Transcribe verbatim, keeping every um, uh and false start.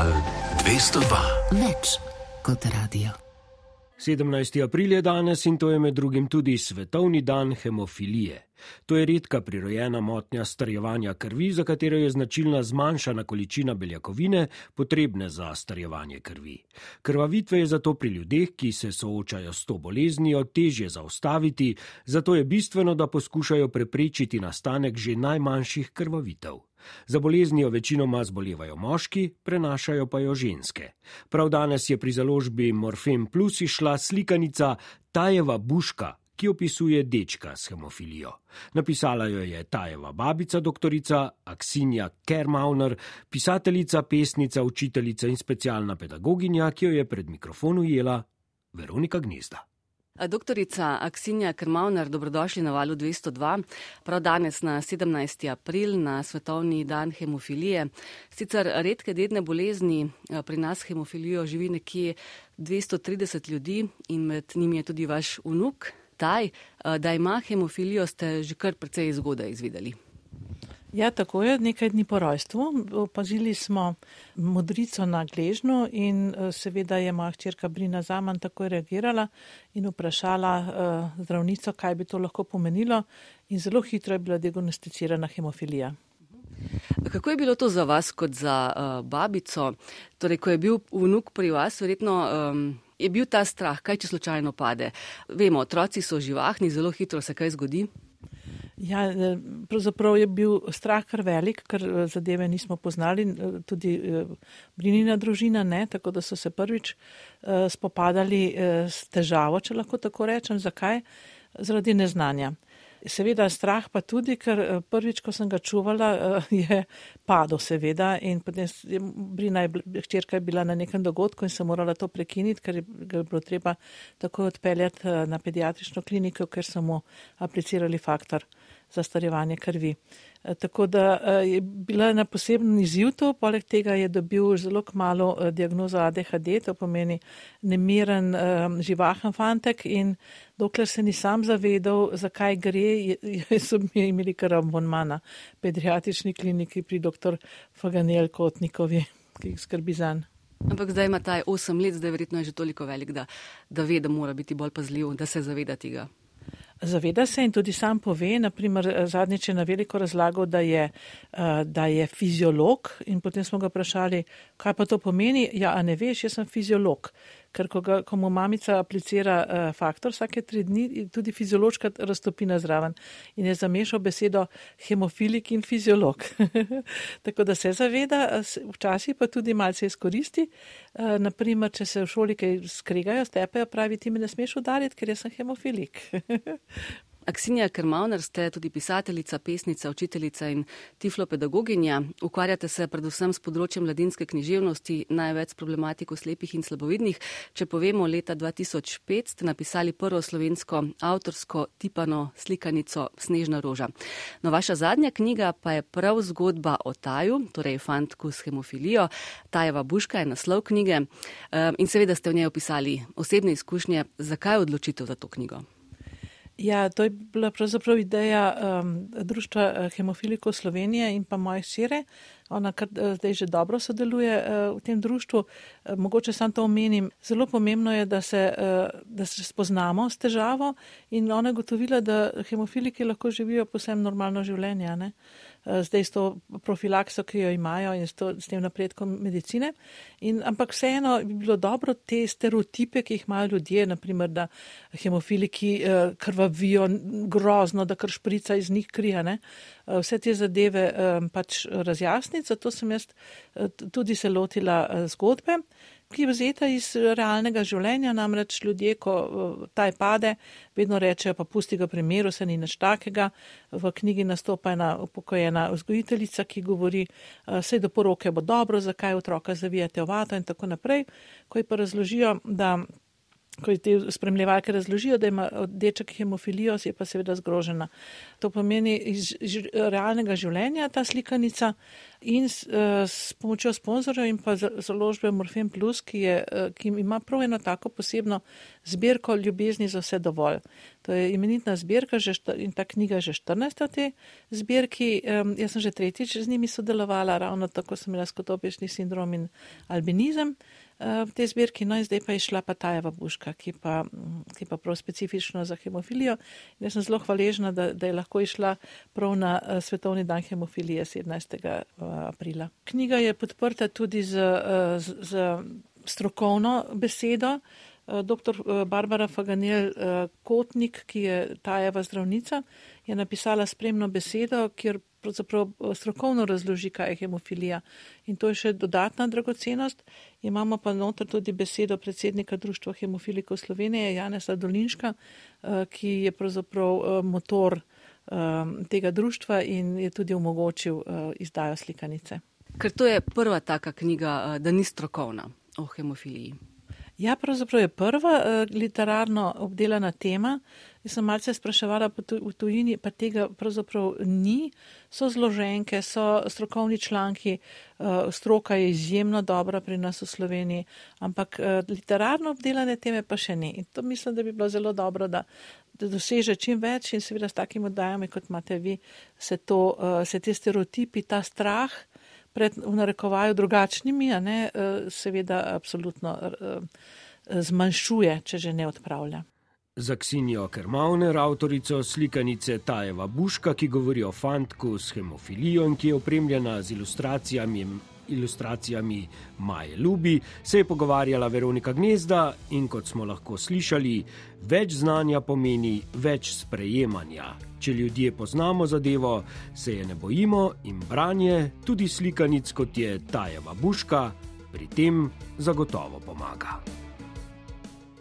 Val dvesto dva. Več kot radio. sedemnajsti april je danes in to je med drugim tudi svetovni dan hemofilije. To je redka prirojena motnja starjevanja krvi, za katero je značilna zmanjšana količina beljakovine, potrebne za starjevanje krvi. Krvavitve je zato pri ljudeh, ki se soočajo s to boleznijo, težje zaustaviti, zato je bistveno, da poskušajo preprečiti nastanek že najmanjših krvavitev. Za boleznijo večinoma zbolevajo moški, prenašajo pa jo ženske. Prav danes je pri založbi Morfem Plus izšla slikanica Tajeva buška, ki opisuje dečka s hemofilijo. Napisala jo je Tajeva babica, doktorica Aksinja Kermauner, pisateljica, pesnica, učiteljica in specialna pedagoginja, ki jo je pred mikrofon ujela Veronika Gnezda. Doktorica Aksinja Kermauner, dobrodošli na Valu dvesto dva. Prav danes na sedemnajsti april, na svetovni dan hemofilije. Sicer redke dedne bolezni, pri nas hemofilijo živi nekje dvesto trideset ljudi in med njimi je tudi vaš vnuk Taj. Da ima hemofilijo, ste že kar precej zgodaj izvedeli. Ja, tako je, nekaj dni po rojstvu. Opazili smo modrico na gležnju in seveda je moja hčerka Brina Zaman takoj reagirala in vprašala uh, zdravnico, kaj bi to lahko pomenilo, in zelo hitro je bila diagnosticirana hemofilija. Kako je bilo to za vas kot za uh, babico? Torej, ko je bil vnuk pri vas, verjetno um, je bil ta strah, kaj če slučajno pade? Vemo, otroci so živahni, zelo hitro se kaj zgodi. Ja, pravzaprav je bil strah kar velik, ker zadeve nismo poznali, tudi Brinina družina ne, tako da so se prvič spopadali s težavo, če lahko tako rečem. Zakaj? Zaradi neznanja. Seveda strah pa tudi, ker prvič, ko sem ga čuvala, je padel seveda in potem Brina je, hčerka je bila na nekem dogodku in sem morala to prekiniti, ker je bilo treba takoj odpeljati na pediatrično kliniko, ker so mu aplicirali faktor za starjevanje krvi. Tako da je bila na poseben izziv to, poleg tega je dobil zelo kmalu diagnozo A D H D, to pomeni nemiren, živahen fantek, in dokler se ni sam zavedal, zakaj gre, so mi imeli kar abonma na pediatrični kliniki pri doktor Faganel Kotnikovi, ki jih skrbi zanj. Ampak zdaj ima taj osem let, zdaj verjetno je že toliko velik, da, da ve, da mora biti bolj pazljiv, da se zaveda tega. Zaveda se in tudi sam pove, naprimer zadnjič je na veliko razlagal, da je, da je fiziolog, in potem smo ga vprašali, kaj pa to pomeni. Ja, a ne veš, jaz sem fiziolog, ker ko, ga, ko mu mamica aplicira faktor vsake tri dni, tudi fiziološka raztopina zraven, in je zamešal besedo hemofilik in fiziolog. Tako da se zaveda, včasih pa tudi malce izkoristi. Naprimer, če se v šoli kaj skregajo, stepejo, pravi, ti me ne smeš udariti, ker jaz sem hemofilik. Aksinja Kermauner, ste tudi pisateljica, pesnica, učiteljica in tiflopedagoginja. Ukvarjate se predvsem s področjem mladinske književnosti, največ s problematiko slepih in slabovidnih. Če povemo, leta dva tisoč pet ste napisali prvo slovensko avtorsko tipano slikanico Snežna roža. No, vaša zadnja knjiga pa je prav zgodba o Taju, torej fantku s hemofilijo. Tajeva buška je naslov knjige in seveda ste v njej opisali osebne izkušnje. Zakaj odločitev za to knjigo? Ja, to je bila pravzaprav ideja um, Društva hemofilikov Slovenije in pa moje hčere. Ona kar zdaj že dobro sodeluje uh, v tem društvu. Uh, mogoče sam to omenim. Zelo pomembno je, da se, uh, da se spoznamo s težavo, in ona je gotovila, da hemofiliki lahko živijo posebno normalno življenje, ne? Zdaj s to profilakso, ki jo imajo, in s, to, s tem napredkom medicine. In, ampak vseeno bi bilo dobro te stereotipe, ki jih imajo ljudje, naprimer, da hemofiliki eh, krvavijo grozno, da kar šprica iz njih krija, ne? Vse te zadeve eh, pač razjasniti, zato sem jaz eh, tudi se lotila eh, zgodbe, ki je vzeta iz realnega življenja, namreč ljudje, ko taj pade, vedno rečejo, pa pusti ga pri miru, se ni nič takega. V knjigi nastopa ena upokojena vzgojiteljica, ki govori, sej do poroke bo dobro, zakaj otroka zavijate v vato in tako naprej. Ko ji pa razložijo, da ko te spremljevalke razložijo, da ima deček hemofilijo, je pa seveda zgrožena. To pomeni iz realnega življenja ta slikanica, In s, s pomočjo sponzorjev in pa založbe Morfen Plus, ki, je, ki ima prav eno tako posebno zbirko ljubezni za vse dovolj. To je imenitna zbirka že, in ta knjiga je že štirinajsta v tej zbirki. Jaz sem že tretjič z njimi sodelovala, ravno tako sem imela skotopični sindrom in albinizem v tej zbirki, no in zdaj pa je šla pa Tajeva buška, ki pa, ki pa prav specifično za hemofilijo. In jaz sem zelo hvaležna, da, da je lahko išla prav na Svetovni dan hemofilije sedemnajstega aprila. Knjiga je podprta tudi z, z, z strokovno besedo. Doktor Barbara Faganel Kotnik, ki je Tajeva zdravnica, je napisala spremno besedo, kjer pravzaprav strokovno razloži, kaj je hemofilija. In to je še dodatna dragocenost. Imamo pa noter tudi besedo predsednika Društva hemofilikov Slovenije, Janeza Dolinška, ki je pravzaprav motor tega društva in je tudi omogočil izdajo slikanice. Ker to je prva taka knjiga, da ni strokovna o hemofiliji. Ja, pravzaprav je prva uh, literarno obdelana tema. Jaz sem malce spraševala v tujini, pa tega pravzaprav ni. So zloženke, so strokovni članki, uh, stroka je izjemno dobra pri nas v Sloveniji, ampak uh, literarno obdelane teme pa še ne. In to mislim, da bi bilo zelo dobro, da, da doseže čim več in seveda s takimi oddajami, kot imate vi, se, to, uh, se te stereotipi, ta strah pred v narekovaju drugačnimi, a ne, seveda absolutno zmanjšuje, če že ne odpravlja. Za Ksenijo Kermauner, avtorico slikanice Tajeva buška, ki govori o fantku s hemofilijo in ki je opremljena z ilustracijami, ilustracijami Maje Ljubi, se je pogovarjala Veronika Gnezda in kot smo lahko slišali, več znanja pomeni več sprejemanja. Če ljudje poznamo zadevo, se je ne bojimo in branje, tudi slikanic kot je Tajeva buška, pri tem zagotovo pomaga.